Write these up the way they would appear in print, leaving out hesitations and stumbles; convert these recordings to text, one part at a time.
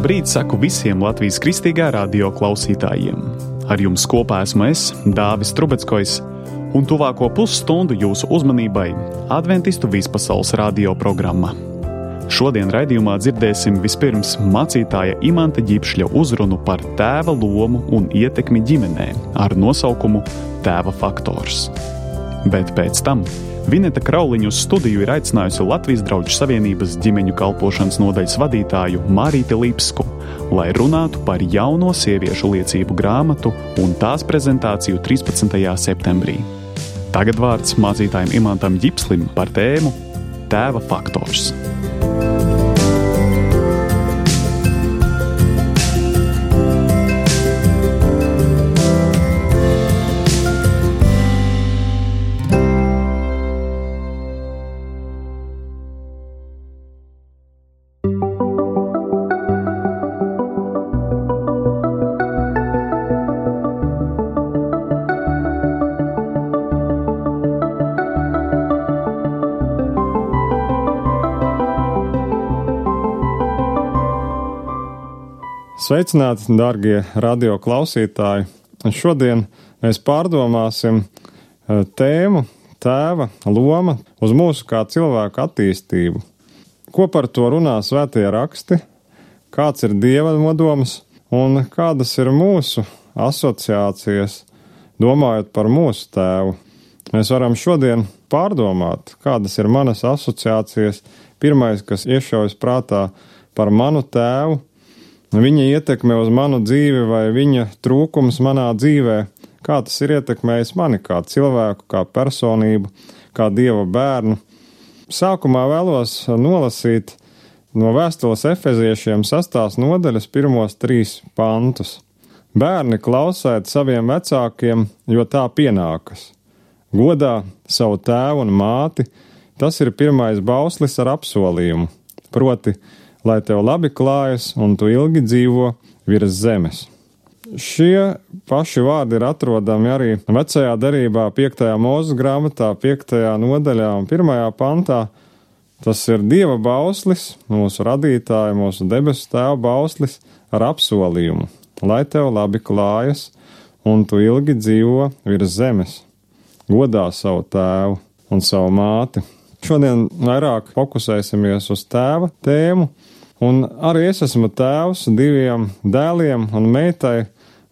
Labrīt saku visiem Latvijas Kristīgā radio klausītājiem. Ar jums kopā esmu es, Dāvis Trubeckojs, un tuvāko pusstundu jūsu uzmanībai Adventistu vispasaules radio programma. Šodien raidījumā dzirdēsim vispirms mācītāja Imanta Ģipšļa uzrunu par tēva lomu un ietekmi ģimenē ar nosaukumu Tēva faktors. Bet pēc tam Vineta Krauliņu uz studiju ir aicinājusi Latvijas Drauģu Savienības ģimeņu kalpošanas nodaļas vadītāju Mārīti Lipsku, lai runātu par jauno sieviešu liecību grāmatu un tās prezentāciju 13. septembrī. Tagad vārds mācītājam Imantam Ģipslim par tēmu Tēva faktors. Sveicināti, dārgie radio klausītāji! Šodien mēs pārdomāsim tēmu Tēva loma uz mūsu kā cilvēku attīstību. Ko par to runā svētie raksti, kāds ir Dieva nodoms un kādas ir mūsu asociācijas, domājot par mūsu tēvu. Mēs varam šodien pārdomāt, kādas ir manas asociācijas. Pirmais, kas iešaujas prātā par manu tēvu, viņa ietekme uz manu dzīvi vai viņa trūkums manā dzīvē, kā tas ir ietekmējis mani kā cilvēku, kā personību, kā Dieva bērnu. Sākumā vēlos nolasīt no vēstules Efeziešiem 6. nodaļas pirmos 3 pantus. Bērni, klausiet saviem vecākiem, jo tā pienākas. Godā savu tēvu un māti, tas ir pirmais bauslis ar apsolījumu, proti, lai tev labi klājas un tu ilgi dzīvo virs zemes. Šie paši vārdi ir atrodami arī vecajā derībā 5. Mūzes grāmatā, 5. nodaļā un 1. pantā. Tas ir Dieva bauslis, mūsu radītāja, mūsu debesu tēva bauslis ar apsolījumu, lai tev labi klājas un tu ilgi dzīvo virs zemes. Godā savu tēvu un savu māti. Šodien vairāk fokusēsimies uz tēva tēmu. Un arī es esmu tēvs 2 dēliem un meitai,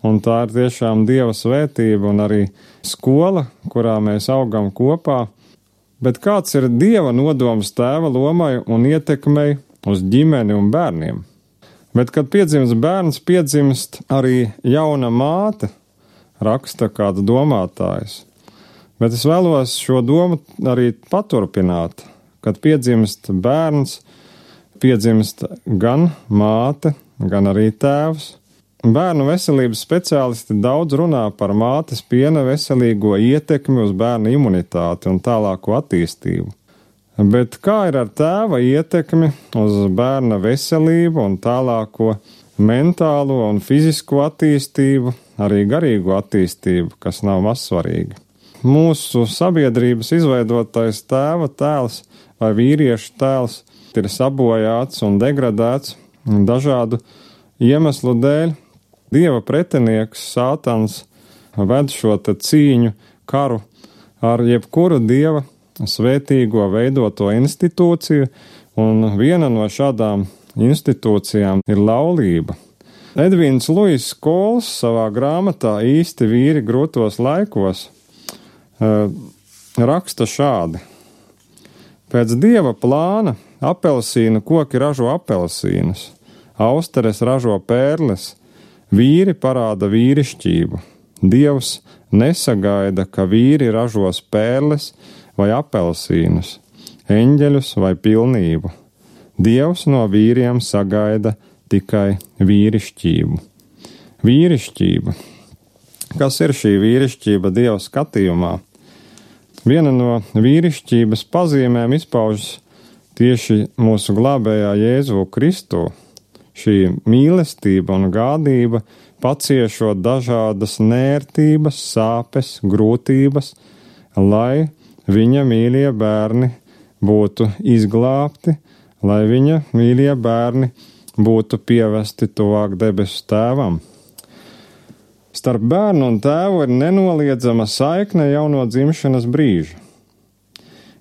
un tā ir tiešām Dieva svētība un arī skola, kurā mēs augam kopā. Bet kāds ir Dieva nodoms tēva lomai un ietekmei uz ģimeni un bērniem? Bet, kad piedzimst bērns, piedzimst arī jauna māte, raksta kāds domātājs. Bet es vēlos šo domu arī paturpināt, kad piedzimst bērns, piedzimst gan māte, gan arī tēvs. Bērnu veselības speciālisti daudz runā par mātes piena veselīgo ietekmi uz bērnu imunitāti un tālāko attīstību. Bet kā ir ar tēva ietekmi uz bērna veselību un tālāko mentālo un fizisko attīstību, arī garīgo attīstību, kas nav mazsvarīga? Mūsu sabiedrības izveidotais tēva tēls vai vīriešu tēls ir sabojāts un degradēts dažādu iemeslu dēļ. Dieva pretinieks Sātans ved šo cīņu, karu ar jebkuru Dieva svētīgo veidoto institūciju, un viena no šādām institūcijām ir laulība. Edvīns Luis Kols savā grāmatā Īsti vīri grūtos laikos raksta šādi. Pēc Dieva plāna apelsīnu koki ražo apelsīnus, austeres ražo pērles, vīri parāda vīrišķību. Dievs nesagaida, ka vīri ražos pērles vai apelsīnus, eņģeļus vai pilnību. Dievs no vīriem sagaida tikai vīrišķību. Vīrišķība. Kas ir šī vīrišķība Dieva skatījumā? Viena no vīrišķības pazīmēm izpaužas tieši mūsu glābējā Jēzu Kristu. Šī mīlestība un gādība paciešot dažādas nērtības, sāpes, grūtības, lai viņa mīļie bērni būtu izglābti, lai viņa mīļie bērni būtu pievesti tuvāk debesu tēvam. Starp bērnu un tēvu ir nenoliedzama saikne jau no dzimšanas brīža.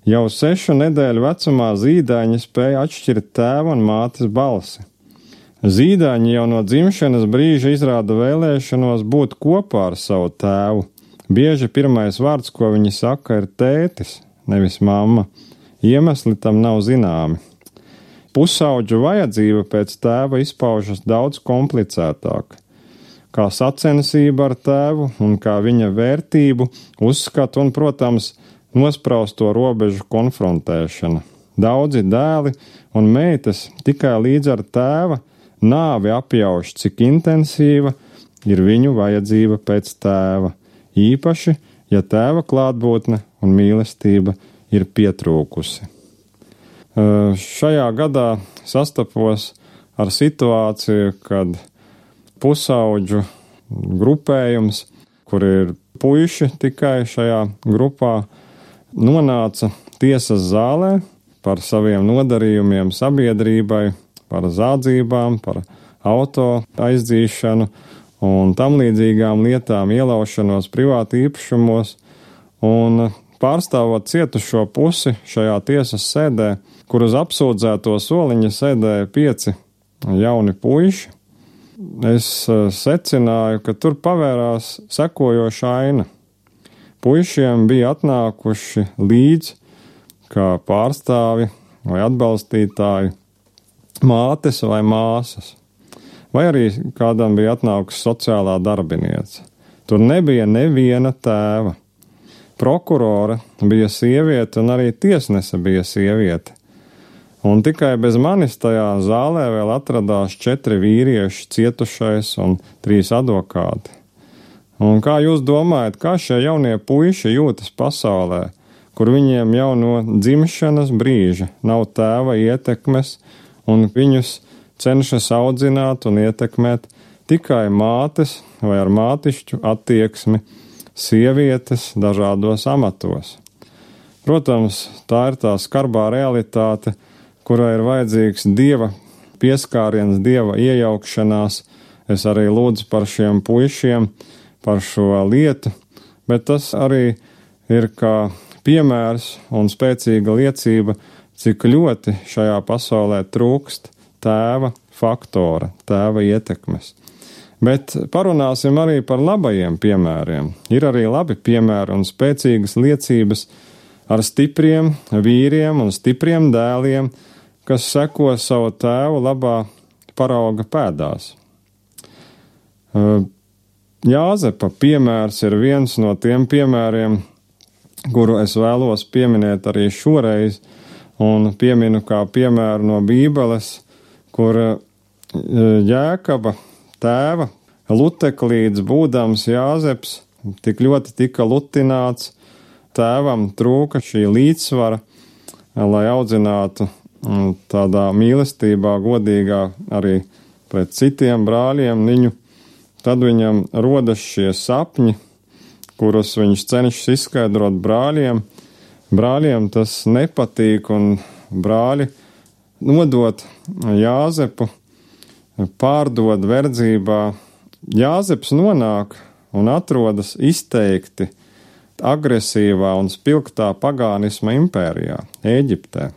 Jau 6 nedēļu vecumā zīdaiņi spēja atšķirt tēva un mātes balsi. Zīdaiņi jau no dzimšanas brīža izrāda vēlēšanos būt kopā ar savu tēvu. Bieži pirmais vārds, ko viņi saka, ir tētis, nevis mamma. Iemesli tam nav zināmi. Pusauģu vajadzība pēc tēva izpaužas daudz komplicētāk. Kā sacensība ar tēvu un kā viņa vērtību, uzskatu un, protams, nosprausto robežu konfrontēšana. Daudzi dēli un meitas tikai līdz ar tēva nāvi apjauš, cik intensīva ir viņu vajadzība pēc tēva, īpaši, ja tēva klātbūtne un mīlestība ir pietrūkusi. Šajā gadā sastapos ar situāciju, kad pusauģu grupējums, kur ir puiši tikai šajā grupā, nonāca tiesas zālē par saviem nodarījumiem sabiedrībai, par zādzībām, par auto aizdzīšanu un tam līdzīgām lietām, ielaušanos privāti īpašumos, un pārstāvot cietušo pusi šajā tiesas sēdē, kur uz apsūdzēto soliņa sēdēja 5 jauni puiši, es secināju, ka tur pavērās sekojoša aina. Puišiem bija atnākuši līdz kā pārstāvi vai atbalstītāji mātes vai māsas, vai arī kādam bija atnākusi sociālā darbiniece. Tur nebija neviena tēva. Prokurore bija sieviete un arī tiesnese bija sieviete. Un tikai bez manis tajā zālē vēl atradās 4 vīrieši, cietušais un 3 advokāti. Un kā jūs domājat, kā šie jaunie puiši jūtas pasaulē, kur viņiem jau no dzimšanas brīža nav tēva ietekmes un viņus cenšas audzināt un ietekmēt tikai mātes vai ar mātišķu attieksmi sievietes dažādos amatos? Protams, tā ir tā skarbā realitāte, kurai ir vajadzīgs Dieva pieskāriens, Dieva iejaukšanās. Es arī lūdzu par šiem puišiem, par šo lietu, bet tas arī ir kā piemērs un spēcīga liecība, cik ļoti šajā pasaulē trūkst tēva faktora, tēva ietekmes. Bet parunāsim arī par labajiem piemēriem. Ir arī labi piemēri un spēcīgas liecības ar stipriem vīriem un stipriem dēliem, kas seko savu tēvu labā parauga pēdās. Jāzepa piemērs ir viens no tiem piemēriem, kuru es vēlos pieminēt arī šoreiz, un pieminu kā piemēru no Bībeles, kur Jēkaba tēva luteklīdz būdams Jāzeps tik ļoti tika lutināts, tēvam trūka šī līdzsvara, lai audzinātu tādā mīlestībā, godīgā arī pret citiem brāļiem viņu. Tad viņam rodas šie sapņi, kurus viņš cenšas izskaidrot brāļiem. Brāļiem tas nepatīk, un brāļi nodot Jāzepu, pārdod verdzībā. Jāzeps nonāk un atrodas izteikti agresīvā un spilgtā pagānisma impērijā, Ēģiptē.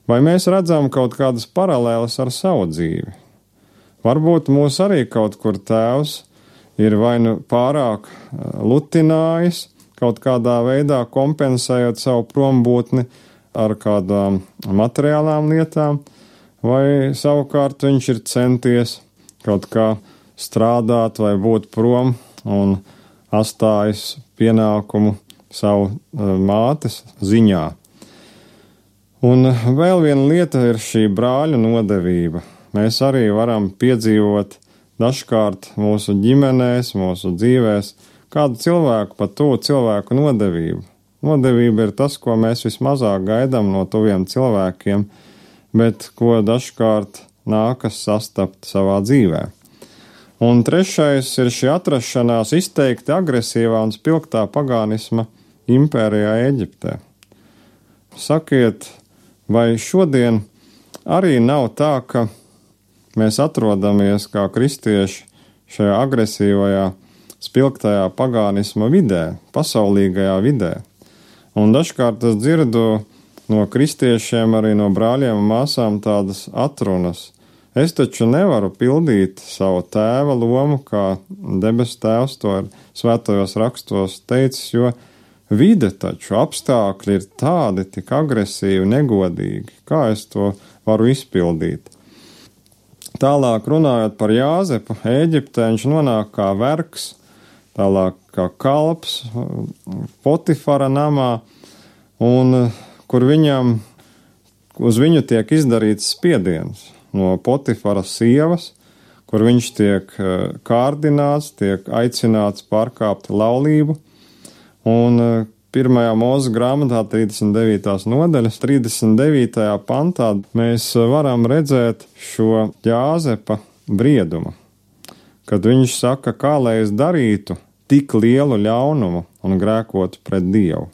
Vai mēs redzam kaut kādas paralēlas ar savu dzīvi? Varbūt mūs arī kaut kur tēvs ir vai nu pārāk lutinājis, kaut kādā veidā kompensējot savu prombūtni ar kādām materiālām lietām, vai savukārt viņš ir centies kaut kā strādāt vai būt prom un atstājis pienākumu savu mātes ziņā. Un vēl viena lieta ir šī brāļu nodevība. Mēs arī varam piedzīvot dažkārt mūsu ģimenēs, mūsu dzīvēs kādu cilvēku, pat tuvu cilvēku nodevību. Nodevība ir tas, ko mēs vismazāk gaidām no tuviem cilvēkiem, bet ko dažkārt nākas sastapt savā dzīvē. Un trešais ir šī atrašanās izteikti agresīvā un spilgtā pagānisma impērijā Ēģiptē. Sakiet, vai šodien arī nav tā, ka mēs atrodamies kā kristieši šajā agresīvajā, spilgtajā pagānisma vidē, pasaulīgajā vidē. Un dažkārt es dzirdu no kristiešiem, arī no brāļiem un māsām tādas atrunas. Es taču nevaru pildīt savu tēva lomu, kā debesu tēvs to ir svētajos rakstos teicis, jo vide taču apstākļi ir tādi tik agresīvi, negodīgi. Kā es to varu izpildīt? Tālāk runājot par Jāzepu, Ēģiptē viņš nonāk kā vergs, tālāk kā kalps Potifara namā, un kur uz viņu tiek izdarīts spiediens no Potifara sievas, kur viņš tiek kārdināts, tiek aicināts pārkāpt laulību. Un 1. Mūzes grāmatā 39. nodaļas 39. pantā mēs varam redzēt šo Jāzepa briedumu, kad viņš saka, kā lai es darītu tik lielu ļaunumu un grēkotu pret Dievu.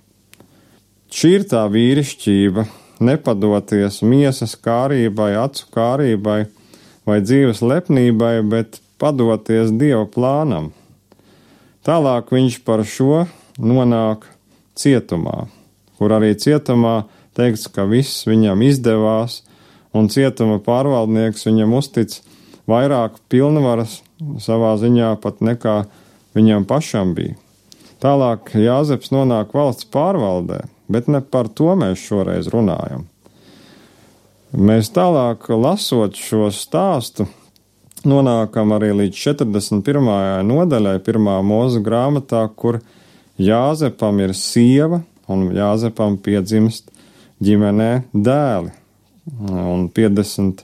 Šī ir tā vīrišķība, nepadoties miesas kārībai, acu kārībai vai dzīves lepnībai, bet padoties Dieva plānam. Tālāk viņš par šo nonāk cietumā, kur arī cietumā teikts, ka viss viņam izdevās, un cietuma pārvaldnieks viņam uztic vairāk pilnvaras savā ziņā pat nekā viņam pašam bija. Tālāk Jāzeps nonāk valsts pārvaldē, bet ne par to mēs šoreiz runājam. Mēs tālāk, lasot šo stāstu, nonākam arī līdz 41. nodaļai 1. Mūzes grāmatā, kur Jāzepam ir sieva, un Jāzepam piedzimst ģimenē dēli. Un 51.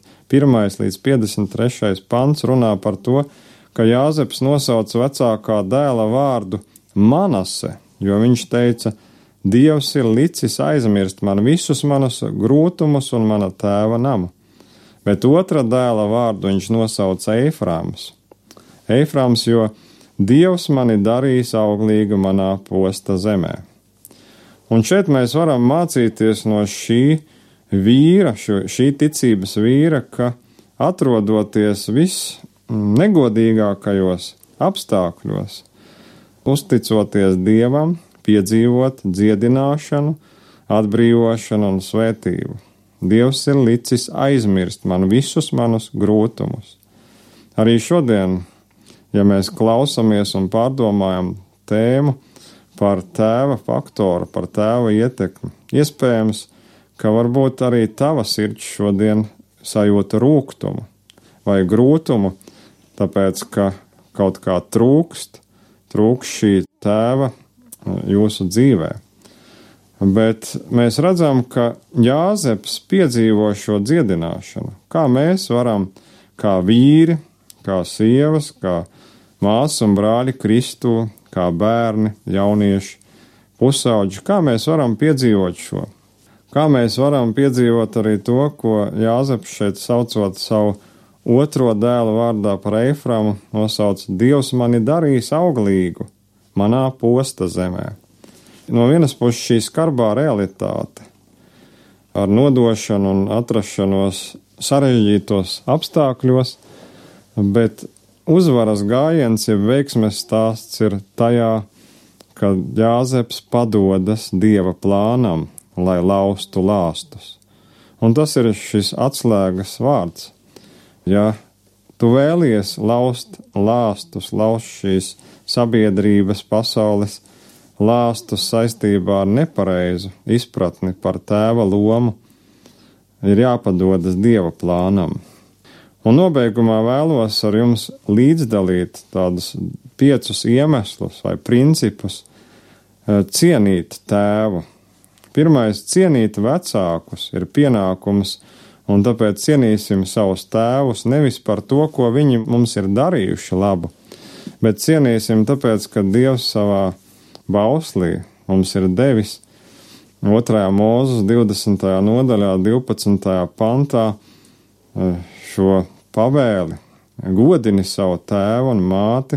līdz 53. pants runā par to, ka Jāzeps nosauc vecākā dēla vārdu Manase, jo viņš teica, Dievs ir licis aizmirst man visus manus grūtumus un mana tēva namu. Bet otra dēla vārdu viņš nosauca Eifrāms. Eifrāms, jo Dievs mani darīs auglīgu manā posta zemē. Un šeit mēs varam mācīties no šī vīra, šī ticības vīra, ka atrodoties visnegodīgākajos apstākļos, uzticoties Dievam, piedzīvot dziedināšanu, atbrīvošanu un svētību. Dievs ir licis aizmirst man visus manus grūtumus. Arī šodien, ja mēs klausamies un pārdomājam tēmu par tēva faktoru, par tēva ietekmi, iespējams, ka varbūt arī tava sirds šodien sajūta rūgtumu vai grūtumu, tāpēc, ka kaut kā trūkst šī tēva jūsu dzīvē. Bet mēs redzam, ka Jāzeps piedzīvo šo dziedināšanu. Kā mēs varam, kā vīri, kā sievas, kā māsas un brāļi Kristū, kā bērni, jaunieši, pusauģi, kā mēs varam piedzīvot šo? Kā mēs varam piedzīvot arī to, ko Jāzeps šeit saucot savu otro dēlu vārdā par Eiframu, nosauc Dievs mani darīs auglīgu manā posta zemē. No vienas puses šī skarbā realitāte ar nodošanu un atrašanos sarežģītos apstākļos, bet uzvaras gājiens, ja veiksmes stāsts ir tajā, ka Jāzeps padodas Dieva plānam, lai laustu lāstus. Un tas ir šis atslēgas vārds. Ja tu vēlies laust lāstus, laust šīs sabiedrības, pasaules lāstus saistībā ar nepareizu izpratni par tēva lomu, ir jāpadodas Dieva plānam. Un nobeigumā vēlos ar jums līdzdalīt tādus 5 iemeslus vai principus cienīt tēvu. Pirmais, cienīt vecākus ir pienākums, un tāpēc cienīsim savus tēvus nevis par to, ko viņi mums ir darījuši labu, bet cienīsim tāpēc, ka Dievs savā bauslī mums ir devis 2. Mūzes 20. nodaļā 12. pantā šo pavēli. Godini savu tēvu un māti,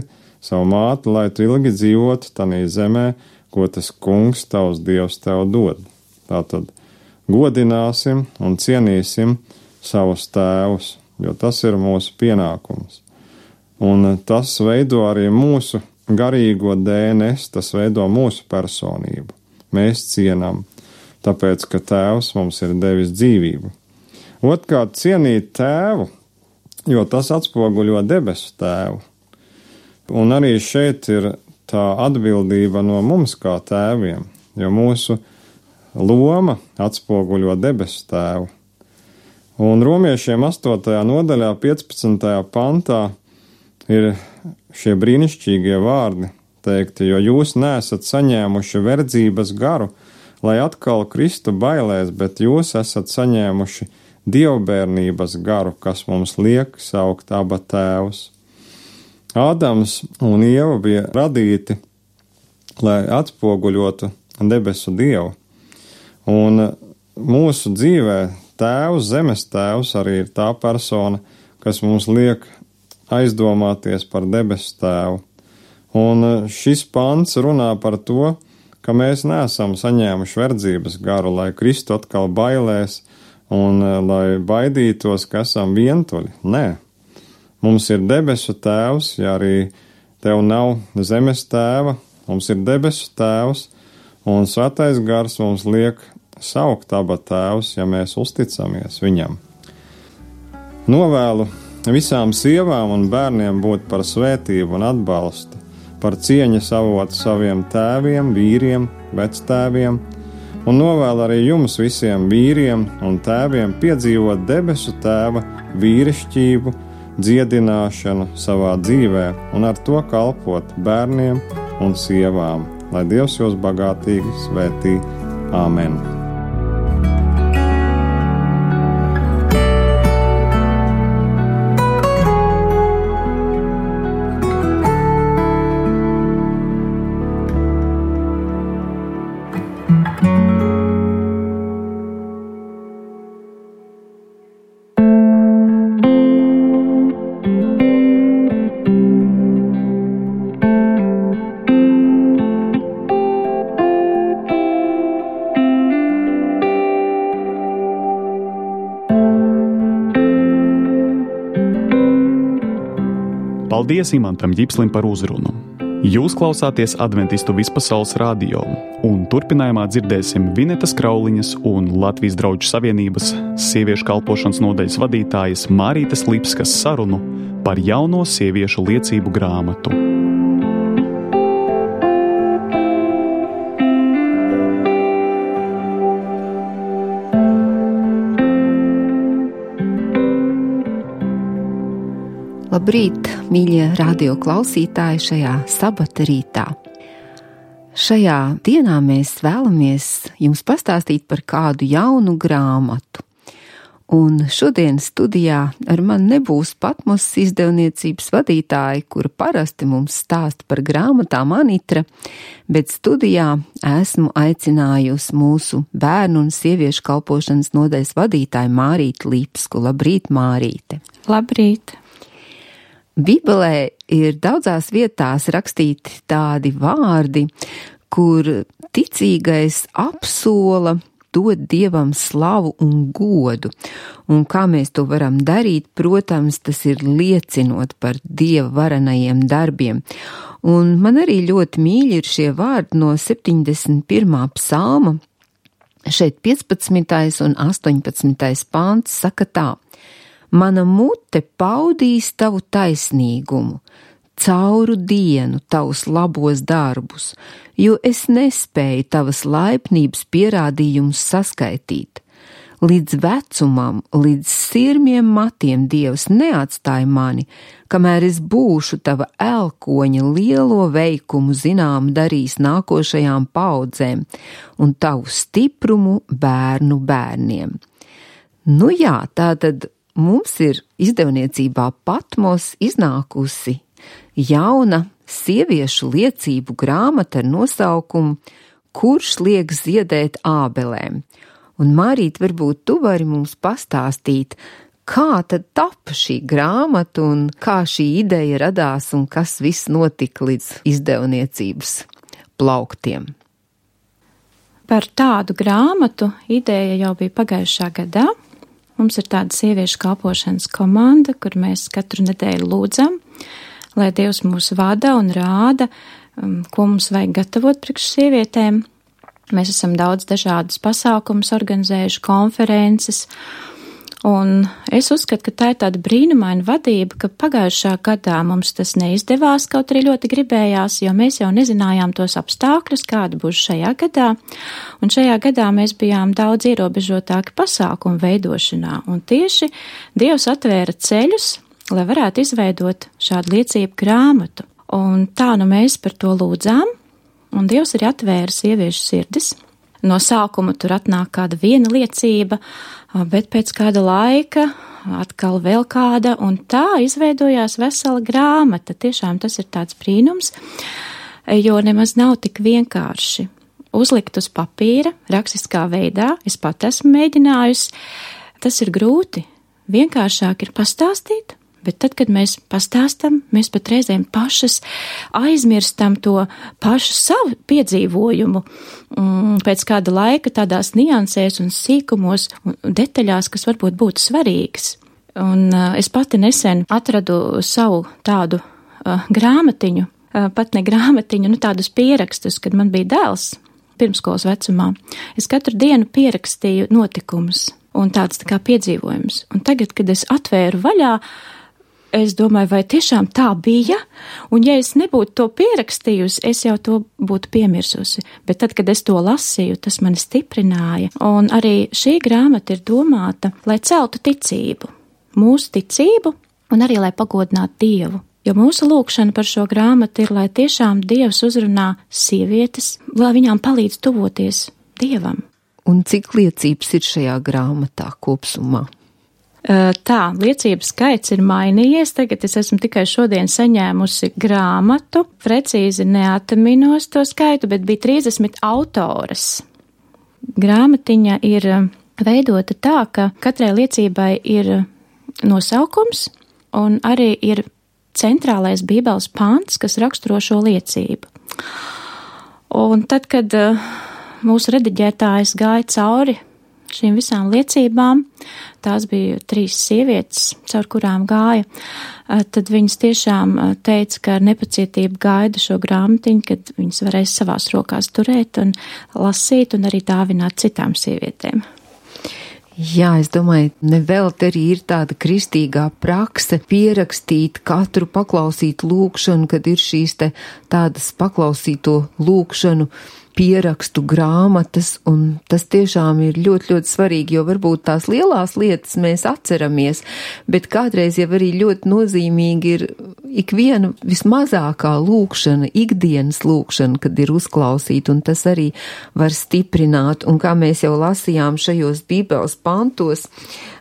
lai tu ilgi dzīvotu tanī zemē, ko tas kungs tavs Dievs tev dod. Tātad godināsim un cienīsim savus tēvus. jo tas ir mūsu pienākums. Un tas veido arī mūsu garīgo DNS, tas veido mūsu personību. Mēs cienam, tāpēc, ka Tēvs mums ir devis dzīvību. Otrkārt, cienīt Tēvu, jo tas atspoguļo debesu Tēvu. Un arī šeit ir tā atbildība no mums kā tēviem, jo mūsu loma atspoguļo debesu Tēvu. Un romiešiem 8. nodaļā 15. pantā ir šie brīnišķīgie vārdi teikti, jo jūs neesat saņēmuši verdzības garu, lai atkal kristu bailēs, bet jūs esat saņēmuši dievbērnības garu, kas mums liek saukt Aba Tēvs. Ādams un Ieva bija radīti, lai atspoguļotu debesu Dievu. Un mūsu dzīvē Tēvs, zemes Tēvs arī ir tā persona, kas mums liek aizdomāties par debesu Tēvu. Un šis pants runā par to, ka mēs neesam saņēmuši verdzības garu, lai kristu atkal bailēs un lai baidītos, ka esam vientuļi. Nē. Mums ir debesu Tēvs, ja arī tev nav zemes Tēva, mums ir debesu Tēvs, un Svētais Gars mums liek saukt Aba Tēvs, ja mēs uzticamies viņam. Novēlu visām sievām un bērniem būt par svētību un atbalstu, par cieņas avotu saviem tēviem, vīriem, vectēviem, un novēlu arī jums visiem vīriem un tēviem piedzīvot debesu Tēva vīrišķību, dziedināšanu savā dzīvē un ar to kalpot bērniem un sievām. Lai Dievs jūs bagātīgi svētī. Āmen. Paldies Imantam Ģipslim par uzrunu. Jūs klausāties Adventistu vispasaules radio, un turpinājumā dzirdēsim Vinetas Krauliņas un Latvijas Drauģu savienības sieviešu kalpošanas nodaļas vadītājas Mārītes Lipskas sarunu par jauno sieviešu liecību grāmatu. Labrīt, mīļie radio klausītāji šajā sabata rītā. Šajā dienā mēs vēlamies jums pastāstīt par kādu jaunu grāmatu. Un šodien studijā ar mani nebūs Patmos izdevniecības vadītāja, kura parasti mums stāsta par grāmatām Anitra, bet studijā esmu aicinājusi mūsu bērnu un sieviešu kalpošanas nodaļas vadītāju Mārīti Lipsku. Labrīt, Mārīte! Labrīt! Bībelē ir daudzās vietās rakstīti tādi vārdi, kur ticīgais apsola dot Dievam slavu un godu. Un kā mēs to varam darīt, protams, tas ir liecinot par Dieva varenajiem darbiem. Un man arī ļoti mīļi ir šie vārdi no 71. psalma. Šeit 15. un 18. pants saka tā: Mana mute paudīs tavu taisnīgumu, cauru dienu tavus labos darbus, jo es nespēju tavas laipnības pierādījumus saskaitīt. Līdz vecumam, līdz sirmiem matiem Dievs neatstāja mani, kamēr es būšu tava elkoņa lielo veikumu zinām darījis nākošajām paudzēm un tavu stiprumu bērnu bērniem. Nu jā, tātad mums ir izdevniecībā Patmos iznākusi jauna sieviešu liecību grāmata ar nosaukumu Kurš liek ziedēt ābelēm? Un Mārīt, varbūt tu vari mums pastāstīt, kā tad tapa šī grāmata un kā šī ideja radās un kas viss notika līdz izdevniecības plauktiem? Par tādu grāmatu ideja jau bija pagājušā gadā. Mums ir tāda sieviešu kalpošanas komanda, kur mēs katru nedēļu lūdzam, lai Dievs mūs vada un rāda, ko mums vajag gatavot priekš sievietēm. Mēs esam daudz dažādus pasākumus organizējuši, konferences, un es uzskatu, ka tā ir tāda brīnumaina vadība, ka pagājušā gadā mums tas neizdevās, kaut arī ļoti gribējās, jo mēs jau nezinājām tos apstākļus, kāda būs šajā gadā, un šajā gadā mēs bijām daudz ierobežotāki pasākumu veidošanā, un tieši Dievs atvēra ceļus, lai varētu izveidot šādu liecību grāmatu, un tā nu mēs par to lūdzām, un Dievs arī atvēra sieviešu sirdis. No sākuma tur atnāk kāda viena liecība, bet pēc kāda laika atkal vēl kāda, un tā izveidojās vesela grāmata. Tiešām tas ir tāds brīnums, jo nemaz nav tik vienkārši uzlikt uz papīra, rakstiskā veidā. Es pat esmu mēģinājusi. Tas ir grūti. Vienkāršāk ir pastāstīt, bet tad, kad mēs pastāstam, mēs pat reizēm pašas aizmirstam to pašu savu piedzīvojumu pēc kāda laika tādās niansēs un sīkumos un detaļās, kas varbūt būtu svarīgas. Un es pati nesen atradu savu tādu grāmatiņu, pat ne grāmatiņu, tādus pierakstus, kad man bija dēls pirmskolas vecumā. Es katru dienu pierakstīju notikumus un tāds tā kā piedzīvojums. Un tagad, kad es atvēru vaļā, es domāju, vai tiešām tā bija, un ja es nebūtu to pierakstījusi, es jau to būtu piemirsusi. Bet tad, kad es to lasīju, tas mani stiprināja, un arī šī grāmata ir domāta, lai celtu ticību, mūsu ticību, un arī lai pagodinātu Dievu. Jo mūsu lūkšana par šo grāmatu ir, lai tiešām Dievs uzrunā sievietes, lai viņām palīdz tuvoties Dievam. Un cik liecības ir šajā grāmatā kopsumā? Tā, liecības skaits ir mainījies, tagad es esmu tikai šodien saņēmusi grāmatu, precīzi neatminos to skaitu, bet bija 30 autoras. Grāmatiņa ir veidota tā, ka katrai liecībai ir nosaukums un arī ir centrālais Bībeles pants, kas raksturo šo liecību. Un tad, kad mūsu rediģētājs gāja cauri šīm visām liecībām, tās bija 3 sievietes, caur kurām gāja, tad viņas tiešām teica, ka ar nepacietību gaida šo grāmatiņu, kad viņas varēs savās rokās turēt un lasīt un arī dāvināt citām sievietēm. Jā, es domāju, nevelti arī ir tāda kristīgā prakse pierakstīt katru paklausītu lūkšanu, kad ir šīs tādas paklausīto lūkšanu pierakstu grāmatas, un tas tiešām ir ļoti, ļoti svarīgi, jo varbūt tās lielās lietas mēs atceramies, bet kādreiz jau arī ļoti nozīmīgi ir ikviena vismazākā lūkšana, ikdienas lūkšana, kad ir uzklausīta, un tas arī var stiprināt, un kā mēs jau lasījām šajos Bībeles pantos,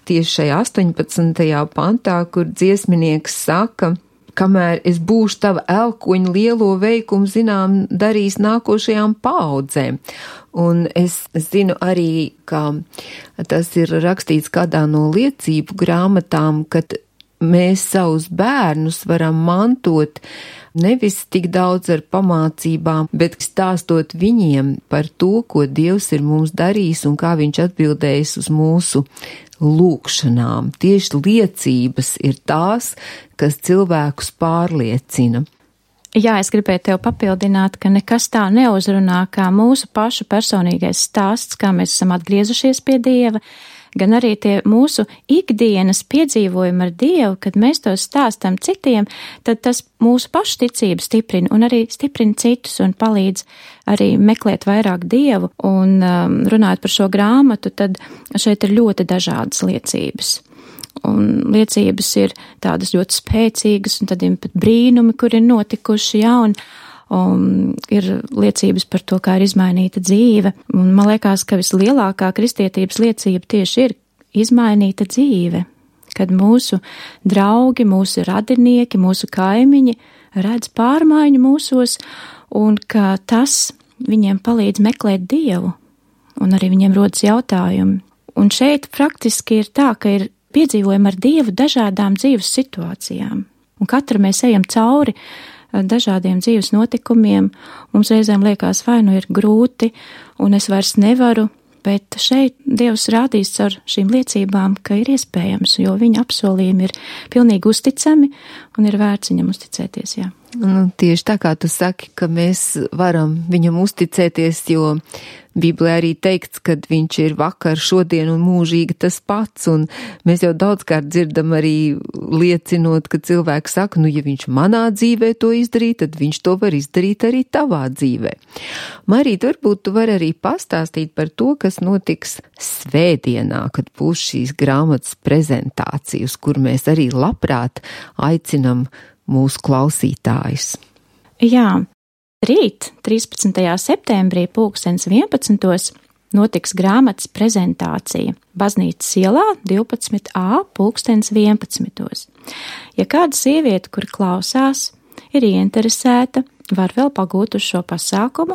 tieši šajā 18. pantā, kur dziesminieks saka, kamēr es būšu tava elkoņa lielo veikumu zinām darīs nākošajām paaudzēm. Un es zinu arī, ka tas ir rakstīts kādā no liecību grāmatām, kad mēs savus bērnus varam mantot nevis tik daudz ar pamācībām, bet stāstot viņiem par to, ko Dievs ir mums darījis un kā viņš atbildējis uz mūsu lūkšanām. Tieši liecības ir tās, kas cilvēkus pārliecina. Jā, es gribēju tev papildināt, ka nekas tā neuzrunā kā mūsu pašu personīgais stāsts, kā mēs esam atgriezušies pie Dieva, gan arī tie mūsu ikdienas piedzīvojumi ar Dievu, kad mēs to stāstam citiem, tad tas mūsu pašu ticību stiprina un arī stiprina citus un palīdz arī meklēt vairāk Dievu. Un runājot par šo grāmatu, tad šeit ir ļoti dažādas liecības. Un liecības ir tādas ļoti spēcīgas, un tad ir pat brīnumi, kur ir notikuši, jā, un ir liecības par to, kā ir izmainīta dzīve. Un man liekas, ka vislielākā kristietības liecība tieši ir izmainīta dzīve, kad mūsu draugi, mūsu radinieki, mūsu kaimiņi redz pārmaiņu mūsos, un ka tas viņiem palīdz meklēt Dievu, un arī viņiem rodas jautājumi. Un šeit praktiski ir tā, ka ir piedzīvojumi ar Dievu dažādām dzīves situācijām, un katra mēs ejam cauri dažādiem dzīves notikumiem. Mums reizēm liekas, vai nu ir grūti, un es vairs nevaru, Bet šeit Dievs rādīs ar šīm liecībām, ka ir iespējams, jo viņa apsolījumi ir pilnīgi uzticami un ir vērts viņam uzticēties, jā. Tieši tā kā tu saki, ka mēs varam viņam uzticēties, jo Bībelē arī teikts, ka viņš ir vakar, šodien un mūžīgi tas pats, un mēs jau daudzkārt dzirdam arī liecinot, ka cilvēki saka, ja viņš manā dzīvē to izdarīja, tad viņš to var izdarīt arī tavā dzīvē. Marīt, varbūt tu vari arī pastāstīt par to, kas notiks svētdienā, kad būs šīs grāmatas prezentācijas, kur mēs arī labprāt aicinam mūsu klausītājus. Jā. Rīt, 13. septembrī, 11. notiks grāmatas prezentācija Baznīcas ielā 12a, 11. Ja kāda sieviete, kur klausās, ir ieinteresēta, var vēl pagūt uz šo pasākumu.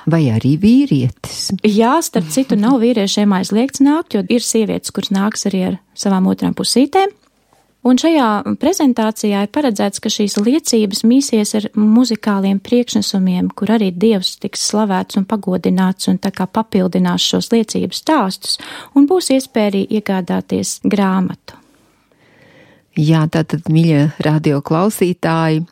Vai arī vīrietis? Jā, starp citu, nav vīriešiem aizliegts nākt, jo ir sievietes, kuras nāks arī ar savām otrām pusītēm. Un šajā prezentācijā ir paredzēts, ka šīs liecības mīsies ar muzikāliem priekšnesumiem, kur arī Dievs tiks slavēts un pagodināts un tā kā papildinās šos liecības stāstus, un būs iespēja arī iegādāties grāmatu. Jā, tātad, mīļie radio klausītāji,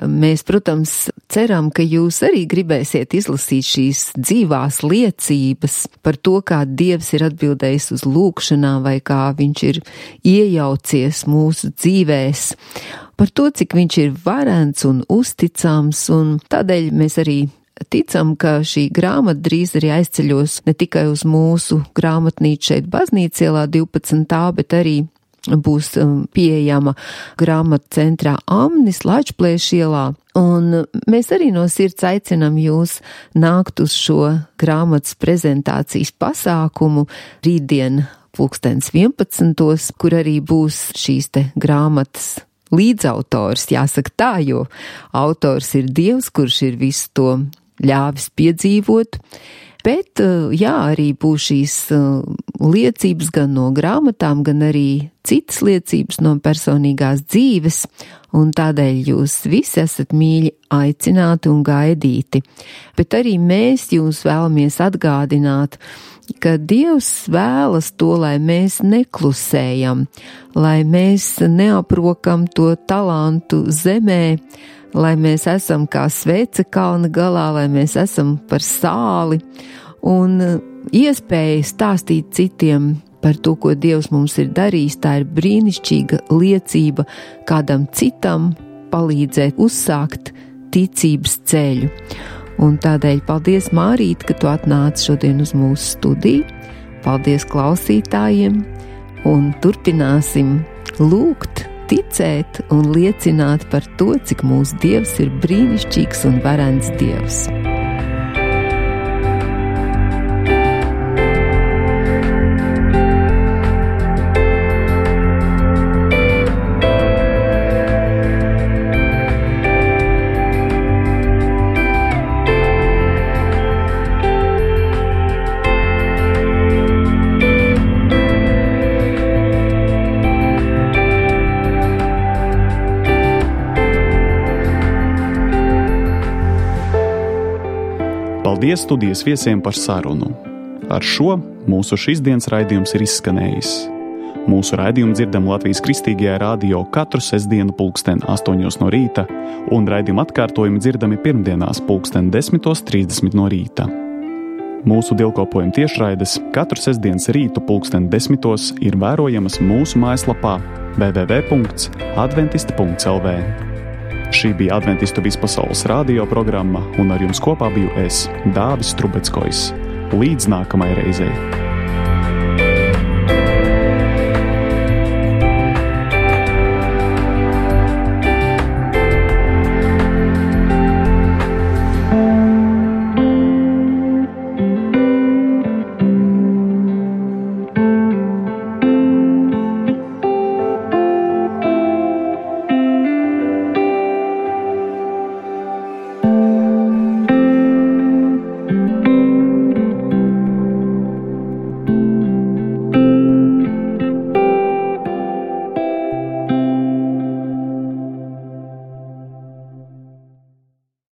mēs, protams, ceram, ka jūs arī gribēsiet izlasīt šīs dzīvās liecības par to, kā Dievs ir atbildējis uz lūgšanām vai kā viņš ir iejaucies mūsu dzīvēs, par to, cik viņš ir varens un uzticams, un tādēļ mēs arī ticam, ka šī grāmata drīz arī aizceļos ne tikai uz mūsu grāmatnīcu šeit Baznīcas ielā 12. bet arī būs pieejama grāmatu centrā Amnis Laičplēša ielā, un mēs arī no sirds aicinam jūs nākt uz šo grāmatas prezentācijas pasākumu rītdien 11. kur arī būs šīs te grāmatas līdzautors, jāsaka tā, jo autors ir Dievs, kurš ir visu to ļāvis piedzīvot. Bet, jā, arī būs šīs liecības gan no grāmatām, gan arī citas liecības no personīgās dzīves, un tādēļ jūs visi esat mīļi aicināti un gaidīti. Bet arī mēs jūs vēlamies atgādināt, ka Dievs vēlas to, lai mēs neklusējam, lai mēs neaprokam to talantu zemē, lai mēs esam kā svece kalna galā, lai mēs esam par sāli un iespēja stāstīt citiem par to, ko Dievs mums ir darījis. Tā ir brīnišķīga liecība kādam citam palīdzēt uzsākt ticības ceļu. Un tādēļ paldies, Mārīt, ka tu atnāci šodien uz mūsu studiju. Paldies klausītājiem un turpināsim lūgt, ticēt un liecināt par to, cik mūsu Dievs ir brīnišķīgs un varens Dievs. Paldies studijas viesiem par sarunu. Ar šo mūsu šīsdienas raidījums ir izskanējis. Mūsu raidījumu dzirdam Latvijas Kristīgajā radio katru sestdienu 8:00 no rīta, un raidījuma atkārtojumi dzirdami pirmdienās 10:30 no rīta. Mūsu dievkalpojuma tiešraides katru sestdienas rītu 10:00 ir vērojamas mūsu mājaslapā www.adventisti.lv. Šī bija Adventistu vispasaules radio programma, un ar jums kopā biju es, Dāvis Trubeckojs. Līdz nākamajai reizei!